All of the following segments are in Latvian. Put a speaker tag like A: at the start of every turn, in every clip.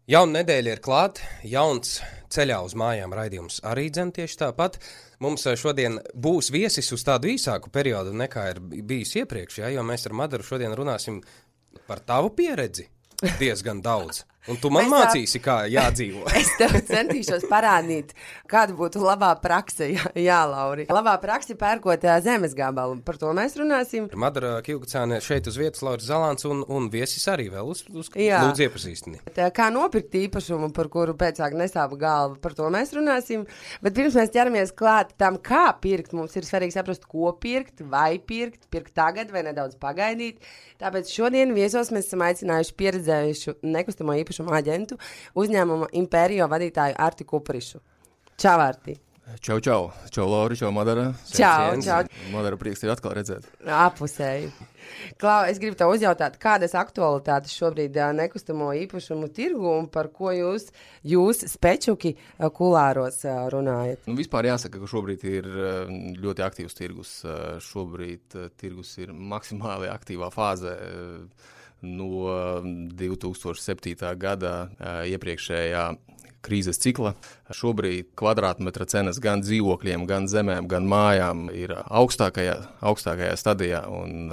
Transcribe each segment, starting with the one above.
A: Jauna nedēļa ir klāt, jauns ceļā uz mājām raidījums arī dzen tieši tāpat. Mums šodien būs viesis uz tādu īsāku periodu nekā ir bijis iepriekš, jo mēs ar Madaru šodien runāsim par tavu pieredzi diezgan daudz. Un tu man mācīsi, kā jādzīvo.
B: Es tev centīšos parādīt, kāda būtu labā prakse, jā, Lauri. Labā prakse pērkot zemes gabalu, par to mēs runāsim.
A: Madara Kilgacāne šeit uz vietas, Lauris Zalāns un viesis arī vēl uz lūdzu iepazīstini.
B: Kā nopirkt īpašumu, par kuru pēcāk nesāpa galva, par to mēs runāsim. Bet pirms mēs ķeramies klāt tam, kā pirkt, mums ir svarīgi saprast, ko pirkt, vai pirkt tagad vai nedaudz pagaidīt. Tāpēc šodien viesos mēs esam aicinājuši pieredzējušu nekustamo īpašumu aģentu, uzņēmuma Impērio vadītāju Arti Kuprišu. Čau, Arti!
C: Čau, Lauri, čau, Madara.
B: Čau.
C: Madara, prieks tevi atkal redzēt.
B: Apusēji. Klau, es gribu tev uzjautāt, kādas aktualitātes šobrīd nekustamo īpašumu tirgu un par ko jūs spečuki kulāros runājat?
C: Vispār jāsaka, ka šobrīd ir ļoti aktīvs tirgus. Šobrīd tirgus ir maksimāli aktīvā fāzē. No 2007. gada iepriekšējā krīzes cikla. Šobrīd kvadrātmetra cenas gan dzīvokļiem, gan zemēm, gan mājām ir augstākajā stadijā, un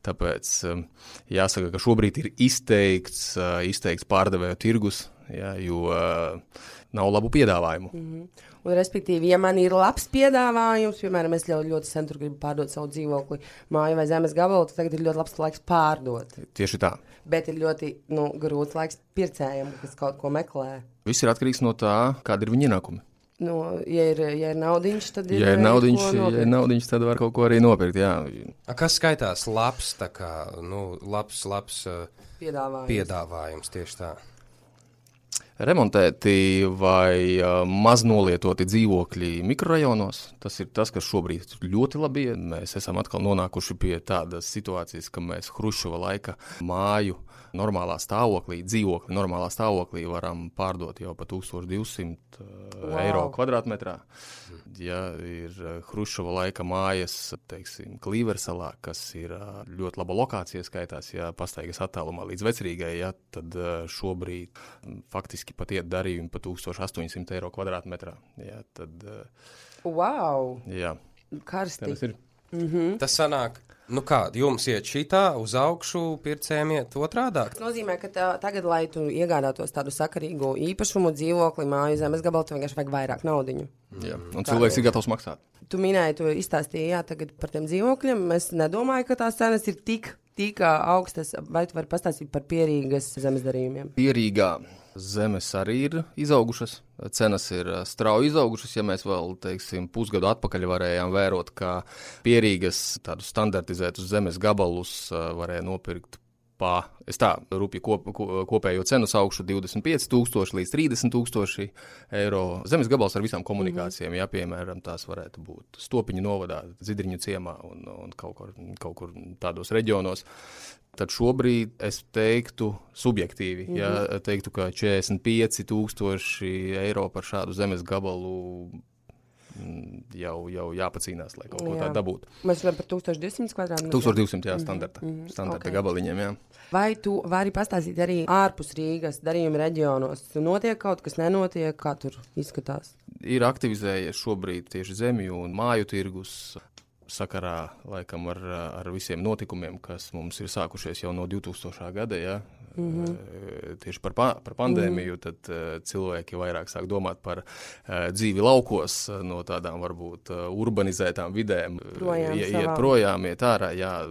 C: tāpēc jāsaka, ka šobrīd ir izteikts pārdevēju tirgus, jo nav labu piedāvājumu.
B: Mm-hmm. Un, respektīvi, ja man ir labs piedāvājums, piemēram, es ļoti sen tur gribu pārdot savu dzīvokli, māju vai zemes gabalu, tad tagad ir ļoti labs laiks pārdot.
C: Tieši tā.
B: Bet ir ļoti grūts laiks pircējiem, kas kaut ko meklē.
C: Viss ir atkarīgs no tā, kāda ir viņa ienākumi.
B: Ja ir naudiņš, tad ir
C: ja ir naudiņš, tad var kaut ko arī nopirkt, jā.
A: Kas skaitās labs, tā kā, labs piedāvājums tieši tā?
C: Remontēti vai maznolietoti dzīvokļi mikrorajonos, tas ir tas, kas šobrīd ļoti labi iet. Mēs esam atkal nonākuši pie tādas situācijas, ka mēs Hruščova laika māju dzīvokļi normālā stāvoklī varam pārdot jau pa 1200 eiro kvadrātmetrā. Ja ir Hruščova laika mājas, teiksim, Klīversalā, kas ir ļoti laba lokācija skaitās, ja pastaigas attālumā līdz Vecrīgai, tad šobrīd faktiski pat iet darījumi pa 1800 eiro kvadrātmetrā.
B: Wow!
C: Jā.
B: Karsti.
A: Mm-hmm. Tas sanāk, jums iet šitā uz augšu, pircējiem iet otrādāk?
B: Tas nozīmē, ka tagad, lai tu iegādātos tādu sakarīgu īpašumu, dzīvokli, māju, zemes gabalu, tu vienkārši vajag vairāk naudiņu.
C: Jā, un cilvēks ir gatavs maksāt.
B: Tu minēji, tu izstāstīji, tagad par tiem dzīvokļiem. Es nedomāju, ka tās cenas ir tik augstas, vai tu vari pastāstīt par Pierīgas zemes darījumiem?
C: Pierīgā zemes arī ir izaugušas, cenas ir strauji izaugušas, ja mēs vēl, pusgadu atpakaļ varējām vērot, ka Pierīgas tādus standartizētus zemes gabalus varēja nopirkt rupji kopējo cenu saukšu 25,000 līdz 30,000 eiro. Zemes gabals ar visām komunikācijām, piemēram, tās varētu būt Stopiņu novadā, Zidriņu ciemā un kaut kur tādos reģionos. Tad šobrīd es teiktu subjektīvi, teiktu, ka 45,000 eiro par šādu zemes gabalu jau jāpacīnās, lai kaut ko tādu dabūtu.
B: Mēs varam par 1200 kvadrātmetru?
C: 1200, standarta gabaliņiem, jā.
B: Vai tu vari pastāstīt arī ārpus Rīgas darījuma reģionos? Notiek kaut kas, nenotiek, kā tur izskatās?
C: Ir aktivizējies šobrīd tieši zemju un māju tirgus sakarā, laikam, ar visiem notikumiem, kas mums ir sākušies jau no 2000. gada, jā. Tieši par pandēmiju, tad cilvēki vairāk sāk domāt par dzīvi laukos, no tādām varbūt urbanizētām vidēm, iet projām, iet ārā, jā,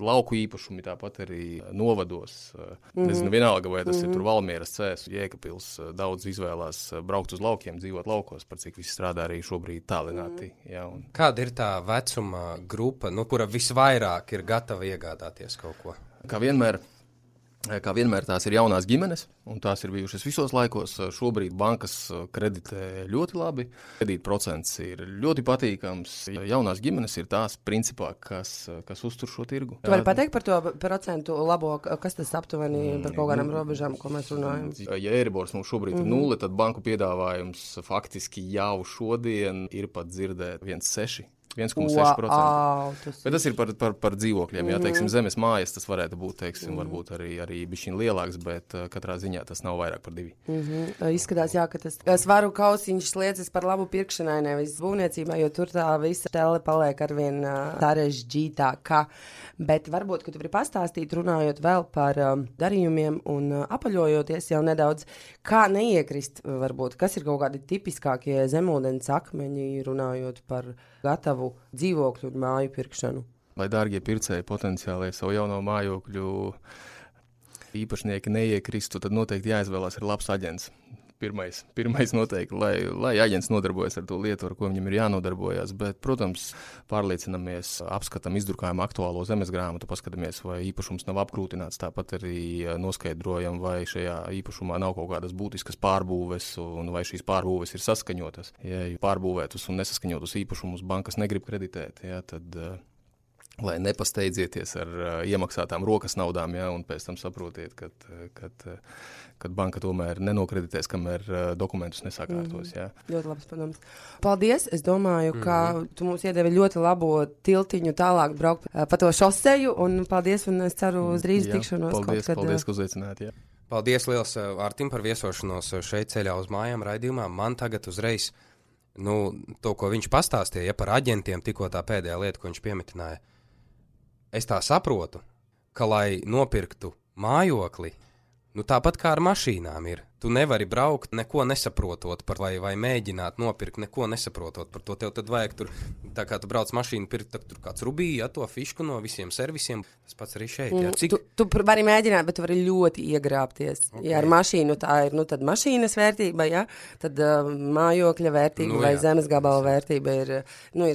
C: lauku īpašumi tāpat arī novados. Nezinu, vienalga, vai tas ir tur Valmieras Cēs, Jēkabpils, daudz izvēlās braukt uz laukiem, dzīvot laukos, par cik visi strādā arī šobrīd tālināti. Jā,
A: Kāda ir tā vecuma grupa, kura visvairāk ir gatava iegādāties kaut ko?
C: Kā vienmēr tās ir jaunās ģimenes, un tās ir bijušas visos laikos. Šobrīd bankas kreditē ļoti labi, kredītprocents ir ļoti patīkams. Jaunās ģimenes ir tās principā, kas uztur šo tirgu.
B: Tu vari pateikt par to procentu labo, kas tas aptuveni par kaut kādām robežām, ko mēs runājam?
C: Ja Eiribors mums šobrīd ir 0, tad banku piedāvājums faktiski jau šodien ir pat dzirdēt 1,6. 1,6%.
B: Wow,
C: Bet tas ir par dzīvokļiem. Jā, teiksim, zemes mājas tas varētu būt, teiksim, varbūt arī bišķiņ lielāks, bet katrā ziņā tas nav vairāk par 2.
B: Izskatās, jā, ka tas svaru kausiņš liecas par labu pirkšanai, nevis būvniecībā, jo tur tā visa tele paliek arvien sarežģītākā. Bet varbūt, ka tu vari pastāstīt, runājot vēl par darījumiem un apaļojoties jau nedaudz, kā neiekrist, varbūt, kas ir kaut kādi tipiskākie zemūdens akmeņi, runājot par gatavu dzīvokļu un māju pirkšanu.
C: Lai dārgie pircēji potenciāli savu jauno mājokļu īpašnieki neiekristu, tad noteikti jāizvēlās ir labs aģents. Pirmais noteikti, lai aģents nodarbojas ar to lietu, ar ko viņam ir jānodarbojas, bet, protams, pārliecinamies, apskatam, izdrukājam aktuālo zemes grāmatu, paskatāmies, vai īpašums nav apkrūtināts, tāpat arī noskaidrojam, vai šajā īpašumā nav kaut kādas būtiskas pārbūves, un vai šīs pārbūves ir saskaņotas. Ja pārbūvētus un nesaskaņotus īpašumus bankas negrib kreditēt, ja, tad lai nepasteidzieties ar iemaksātām rokas naudām, ja, un pēc tam saprotiet, kad banka tomēr nenokreditēs, kamēr dokumentus nesakārtos. Ja.
B: Ļoti labs padoms. Paldies! Es domāju, ka tu mums iedevi ļoti labo tiltiņu tālāk braukt pa to šoseju, un paldies, un es ceru uz drīz tikšanos.
C: Paldies, ka uzaicināt. Ja.
A: Paldies liels Artim par viesošanos šeit ceļā uz mājām raidījumā. Man tagad uzreiz, to, ko viņš pastāstīja, par aģentiem, tikko tā pēdējā lieta, ko viņš piemetināja. Es tā saprotu, ka, lai nopirktu mājokli, tāpat kā ar mašīnām ir. Tu nevari braukt, neko nesaprotot par vai mēģināt nopirkt, neko nesaprotot par to. Tev tad vajag tur, tā kā tu brauc mašīnu pirkt, tur kāds rubīja, to fišku no visiem servisiem. Tas pats arī šeit. Jā.
B: Tu vari mēģināt, bet tu vari ļoti iegrābties. Okay. Ja ar mašīnu tā ir, tad mašīnas vērtība, ja? Tad mājokļa vērtība vai zemes gabala vērtība ir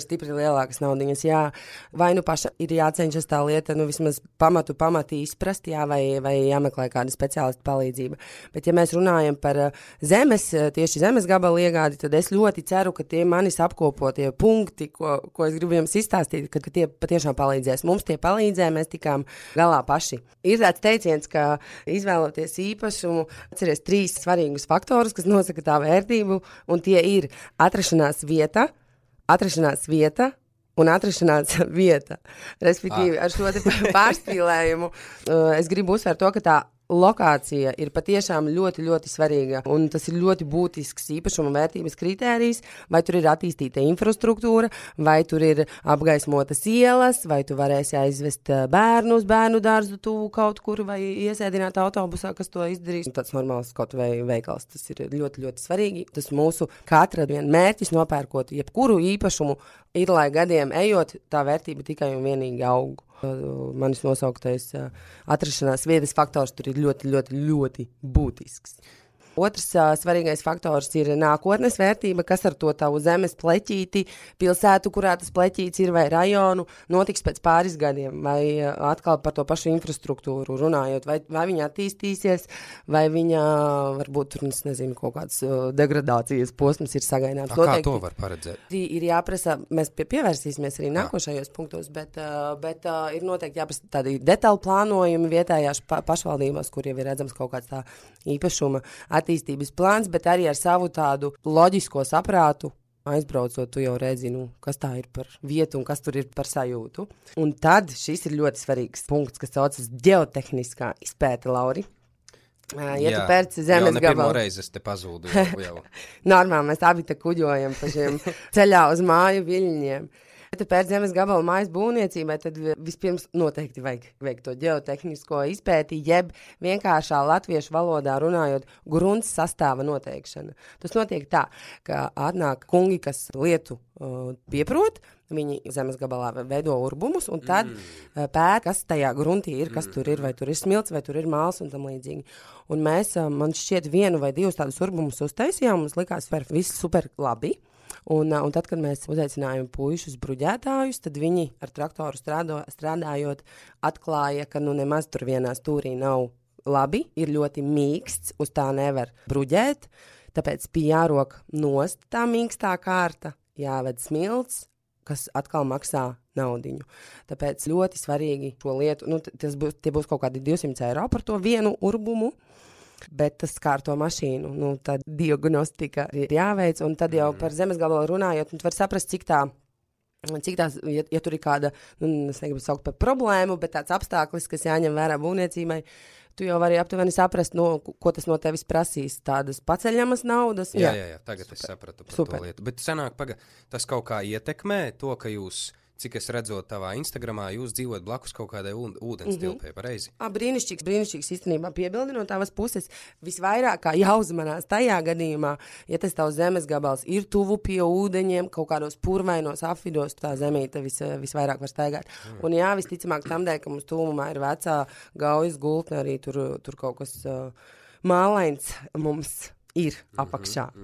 B: stipri lielākas naudiņas. Jā. Vai paša ir jācenšas tā lieta, vismaz pamatu izprast, jā, vai jāmeklē kāda speciālista palīdzība. Bet ja mēs runājam par tieši zemes gabalu iegādi, tad es ļoti ceru, ka tie manis apkopotie punkti, ko es gribu jums izstāstīt, ka tie patiešām palīdzēs. Mums tie palīdzēja, mēs tikām galā paši. Ir tāds teiciens, ka izvēloties īpašumu, atceries 3 svarīgus faktorus, kas nosaka tā vērtību, un tie ir atrašanās vieta un atrašanās vieta. Respektīvi, ar šo pārspīlējumu es gribu uzsvērt to, ka tā lokācija ir patiešām ļoti, ļoti svarīga, un tas ir ļoti būtisks īpašuma vērtības kritērijs, vai tur ir attīstīta infrastruktūra, vai tur ir apgaismotas ielas, vai tu varēsi aizvest bērnu uz bērnu dārzu tuvu kaut kur, vai iesēdināt autobusā, kas to izdarīs. Tāds normāls kaut vai veikals, tas ir ļoti, ļoti svarīgi. Tas mūsu katra mērķis nopērkot jebkuru īpašumu ir, lai gadiem ejot, tā vērtība tikai un vienīgi aug. Manis nosauktais atrašanās vietas faktors tur ir ļoti, ļoti, ļoti būtisks. Otrs svarīgais faktors ir nākotnes vērtība, kas ar to tavu zemes pleķīti, pilsētu, kurā tas pleķīts ir, vai rajonu, notiks pēc pāris gadiem, vai atkal par to pašu infrastruktūru runājot, vai viņa attīstīsies, vai viņa varbūt tur, nezinu, kaut kāds degradācijas posms ir sagaidāms.
A: Kā to var paredzēt?
B: Ir jāprasa, mēs pievērsīsimies arī nākošajos punktos, bet ir noteikti jāprasa tādi detāli plānojumi vietējās pašvaldībās, kur jau ir redzams kaut kāds tā īpašuma attīstības plāns, bet arī ar savu tādu loģisko saprātu aizbraucot, tu jau redzi, kas tā ir par vietu un kas tur ir par sajūtu. Un tad šis ir ļoti svarīgs punkts, kas saucas ģeotehniskā izpēte, Lauri. Ja tu pērci zemes gabalu.
A: Pirmo reizi es te pazūdu jau.
B: Normāli, mēs abi te kuģojam pa šiem ceļā uz māju viļņiem. Ja tu pēc zemes gabala mājas būvniecībai, tad vispirms noteikti vajag to ģeotehnisko izpēti, jeb vienkāršā latviešu valodā runājot grunts sastāva noteikšana. Tas notiek tā, ka atnāk kungi, kas lietu pieprot, viņi zemes gabalā veido urbumus, un tad pēt, kas tajā gruntī ir, kas tur ir, vai tur ir smilts, vai tur ir māls un tam līdzīgi. Un mēs, man šķiet, 1 vai 2 tādus urbumus uztaisījām, mums likās viss super labi. Un tad, kad mēs uzaicinājām puišus bruģētājus, tad viņi ar traktoru strādājot atklāja, ka nemaz tur vienā stūrī nav labi, ir ļoti mīksts, uz tā nevar bruģēt, tāpēc bija jārok nost tā mīkstā kārta, jāved smilts, kas atkal maksā naudiņu. Tāpēc ļoti svarīgi šo lietu, tie būs kaut kādi 200 eiro par to vienu urbumu, bet tas skār to mašīnu, tad diagnostika ir jāveic, un tad jau par zemes gabalu runājot, tu var saprast, cik tā Cik tās, ja tur ir kāda, es negribu saukt par problēmu, bet tāds apstākļis, kas jāņem vērā būvniecībai, tu jau vari aptuveni saprast, ko tas no tevis prasīs. Tādas paceļamas naudas.
A: Jā, tagad es sapratu par to lietu. Bet senāk, tas kaut kā ietekmē to, ka jūs, cik es redzot tavā Instagramā, jūs dzīvojat blakus kaut kādai ūdens tilpē, pareizi?
B: Brīnišķīgs īstenībā piebildi no tavas puses. Visvairāk kā jāuzmanās tajā gadījumā, ja tas tavs zemes gabals ir tuvu pie ūdeņiem, kaut kādos purvainos apvidos, tā zemīte visvairāk var staigāt. Un jā, visticamāk tam dēļ, ka mums tuvumā ir vecā gaujas gultne, arī tur kaut kas mālains mums ir apakšā.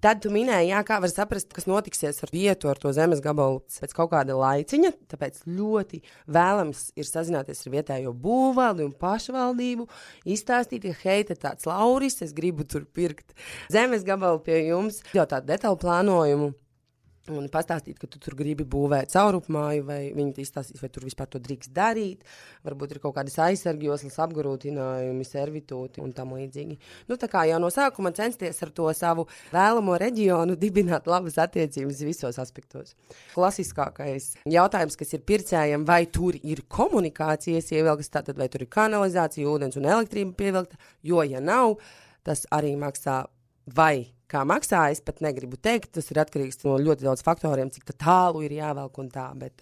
B: Tad tu minēji, kā var saprast, kas notiksies ar vietu, ar to zemes gabalu pēc kaut kāda laiciņa, tāpēc ļoti vēlams ir sazināties ar vietējo būvvaldi un pašvaldību, izstāstīt, ka hei, te tāds Lauris, es gribu tur pirkt zemes gabalu pie jums, jau tādu detaļu plānojumu. Un pastāstīt, ka tu tur gribi būvēt caurupmāju, vai viņi izstāstīs, vai tur vispār to drīkst darīt. Varbūt ir kaut kādas aizsargjoslas, apgrūtinājumi, servitūti un tam līdzīgi. Tā kā jau no sākuma censties ar to savu vēlamo reģionu dibināt labas attiecības visos aspektos. Klasiskākais jautājums, kas ir pircējiem, vai tur ir komunikācijas ievilktas, tātad vai tur ir kanalizācija, ūdens un elektrība pievilkta, jo ja nav, tas arī maksā vai kā maksā, es pat negribu teikt, tas ir atkarīgs no ļoti daudz faktoriem, cik tālu ir jāvelk un tā, bet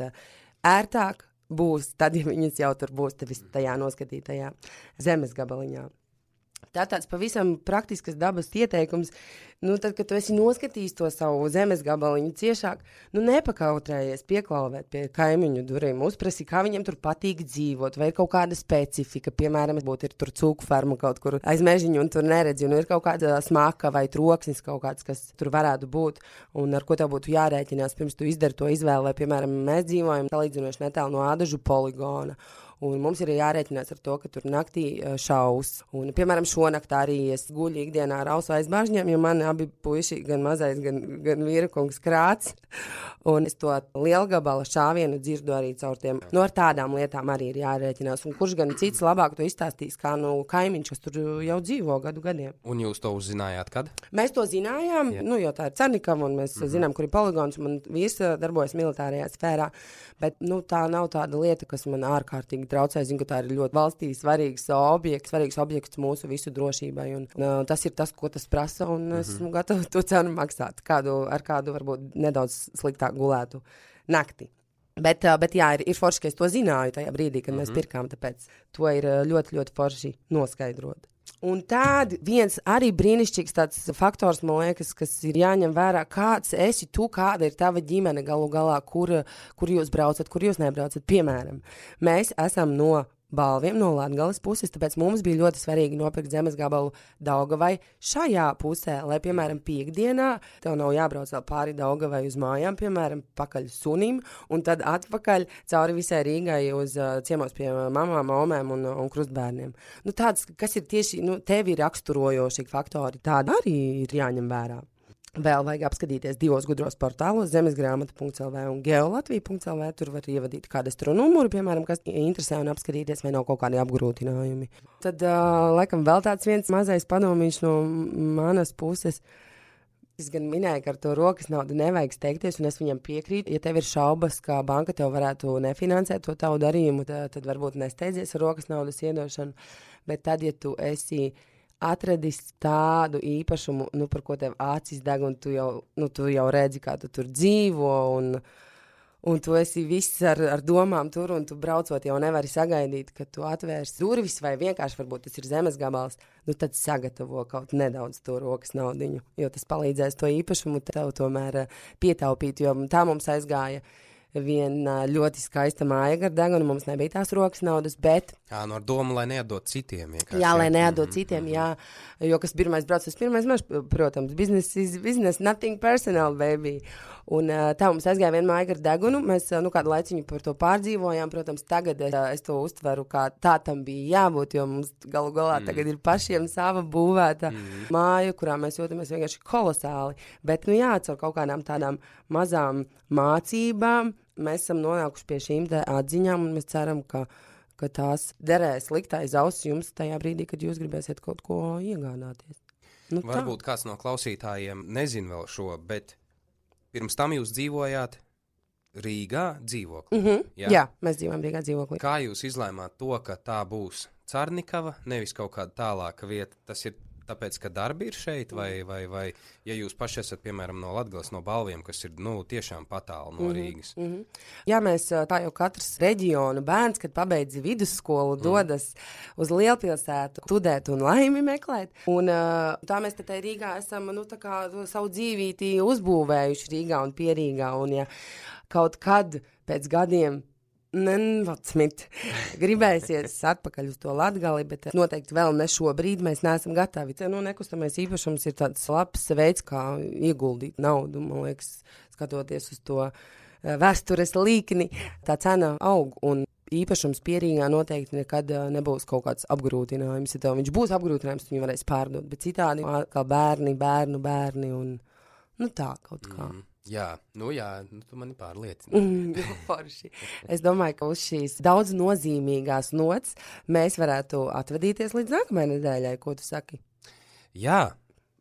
B: ērtāk būs tad, ja viņas jau tur būs tevis tajā noskatītajā zemes gabaliņā. Tā tāds pavisam praktiskas dabas ieteikums, tad, kad tu esi noskatījis to savu zemes gabaliņu ciešāk, nepakautrējies pieklauvēt pie kaimiņu durvīm, uzprasi, kā viņiem tur patīk dzīvot, vai ir kaut kāda specifika, piemēram, ir tur cūku ferma kaut kur aiz mežiņu un tur neredzi, un ir kaut kāda smaka vai troksnis kaut kāds, kas tur varētu būt, un ar ko tev būtu jārēķinās, pirms tu izdari to izvēli, vai, piemēram, mēs dzīvojam salīdzinoši netālu no Ādažu poligona. Un mums ir jārēķinās ar to, ka tur naktī šaus. Un, piemēram, šonakt arī es guļu ikdienā ar ausu aizbāžņiem, jo man abi puiši, gan mazais, gan vīrakungs krāts. Un es to lielgabala šāvienu dzirdu arī caur tiem. Ar tādām lietām arī ir jārēķinās. Un kurš gan cits labāk to izstāstīs, kā kaimiņš, kas tur jau dzīvo gadu gadiem.
A: Un jūs to uzzinājāt, kad?
B: Mēs to zinājām, jo tā ir Cernikava, un mēs zinām, kur ir poligons. Man vīrs darbojas militārajā sfērā, bet tā nav tāda lieta, kas man ārkārtīgi traucē. Zinu, ka tā ir ļoti valstī svarīgs objekts mūsu visu drošībai. Un, tas ir tas, ko tas prasa, un esmu gatava to cenu maksāt. Ar kādu varbūt nedaudz sliktāk gulētu nakti. Bet jā, ir forši, ka es to zināju tajā brīdī, kad mēs pirkām, tāpēc to ir ļoti, ļoti forši noskaidrot. Un tād viens arī brīnišķīgs tāds faktors, man liekas, kas ir jāņem vērā, kāds esi tu, kāda ir tava ģimene galu galā, kur jūs braucat, kur jūs nebraucat. Piemēram, mēs esam no Balviem, no Latgales puses, tāpēc mums bija ļoti svarīgi nopirkt zemes gabalu Daugavai šajā pusē, lai, piemēram, piekdienā tev nav jābrauc vēl pāri Daugavai uz mājām, piemēram, pakaļ sunim, un tad atpakaļ cauri visai Rīgai uz ciemos pie mamām, omēm un krustbērniem. Tāds, kas ir tieši, tevi raksturojoši faktori, tādi arī ir jāņem vērā. Vēl vajag apskatīties divos gudros portālos, zemesgrāmata.lv un geolatvija.lv. Tur var ievadīt kādu astronumuru, piemēram, kas interesē un apskatīties, vai nav kaut kādi apgrūtinājumi. Tad, laikam, vēl tāds viens mazais padomīšs no manas puses. Es gan minēju, ka ar to rokas naudu nevajag steigties, un es viņam piekrītu. Ja tev ir šaubas, kā banka tev varētu nefinansēt to tavu darījumu, tad varbūt nesteidzies ar rokas naudas iedošanu. Bet tad, ja tu esi atradis tādu īpašumu, par ko tev acis deg, un tu jau redzi, kā tu tur dzīvo, un tu esi viss ar domām tur, un tu braucot jau nevari sagaidīt, ka tu atvērsi durvis, vai vienkārši varbūt tas ir zemes gabals, tad sagatavo kaut nedaudz to rokas naudiņu, jo tas palīdzēs to īpašumu tev tomēr pietaupīt, jo tā mums aizgāja viena ļoti skaista māja gar degunu, mums nebija tās rokas naudas, bet...
A: Ar domu, lai neatdot citiem.
B: Jā, lai neatdot citiem, jā. Jo kas pirmais brauc, tas pirmais maž, protams, business is business, nothing personal, baby. Un tā mums aizgāja viena māja gar degunu, mēs kādu laiciņu par to pārdzīvojām, protams, tagad es to uztveru, kā tā tam bija jābūt, jo mums galu galā tagad ir pašiem sava būvēta māja, kurā mēs jūtamies vienkārši kolosāli. Bet, caur kaut kādām tādām mazām mācībām mēs esam nonākuši pie šīm atziņām, un mēs ceram, ka tās derēs likt aiz auss jums tajā brīdī, kad jūs gribēsiet kaut ko iegādāties.
A: Varbūt kāds no klausītājiem nezin vēl šo, bet pirms tam jūs dzīvojāt Rīgā dzīvoklī.
B: Jā, mēs dzīvojam Rīgā dzīvoklī.
A: Kā jūs izlēmāt to, ka tā būs Carnikava, nevis kaut kāda tālāka vieta? Tas ir tāpēc, ka darbi ir šeit, vai ja jūs paši esat, piemēram, no Latgales, no Balviem, kas ir, tiešām patālu no Rīgas?
B: Jā, mēs tā jau katrs reģionu bērns, kad pabeidz vidusskolu, dodas uz lielpilsētu, studēt un laimi meklēt. Un tā mēs te Rīgā esam, tā kā savu dzīvīti uzbūvējuši Rīgā un Pierīgā. Un ja kaut kad pēc gadiem gribēsies atpakaļ uz to Latgali, bet noteikti vēl ne šobrīd mēs neesam gatavi. Nekustamais īpašums ir tāds labs veids, kā ieguldīt naudu, man liekas, skatoties uz to vēstures līkni, tā cena aug un īpašums Pierīgā noteikti nekad nebūs kaut kāds apgrūtinājums. Ja tev viņš būs apgrūtinājums, tu viņu varēs pārdot, bet citādi kā bērni un tā kaut kā.
A: Jā, tu mani pārliecini.
B: Forši. Es domāju, ka uz šīs daudz nozīmīgās nots mēs varētu atvadīties līdz nākamajai nedēļai. Ko tu saki?
A: Jā,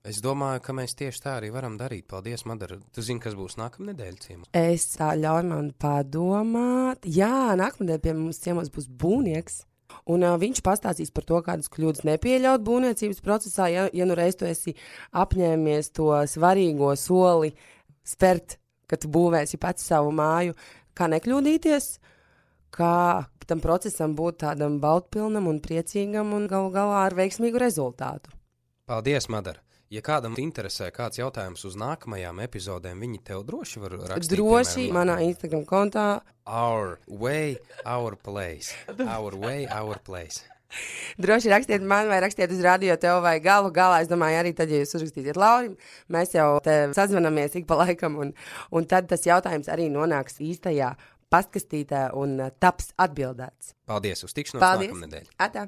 A: es domāju, ka mēs tieši tā arī varam darīt. Paldies, Madara. Tu zini, kas būs nākamā nedēļa ciemos?
B: Es tā ļauju man padomāt. Jā, nākamā nedēļa pie mums ciemos būs būvnieks. Un viņš pastāstīs par to, kādas kļūdas nepieļaut būvniecības procesā, ja nu reiz tu esi apņēmies to svarīgo soli spērt, ka tu būvēsi pats savu māju, kā nekļūdīties, kā tam procesam būt tādam baudpilnam un priecīgam un galu galā ar veiksmīgu rezultātu.
A: Paldies, Madara! Ja kādam interesē kāds jautājums uz nākamajām epizodēm, viņi tev droši var rakstīt.
B: Droši manā Instagram kontā.
A: Our way, our place. Our way, our place.
B: Droši rakstiet man vai rakstiet uz radio tev vai galu galā. Es domāju, arī tad, ja jūs uzrakstīsiet Laurim, mēs jau te sazvanamies ik pa laikam un tad tas jautājums arī nonāks īstajā pastkastītē un taps atbildēts.
A: Paldies, uz tikšanos
B: nākamnedēļ.
A: Paldies!
B: Atā!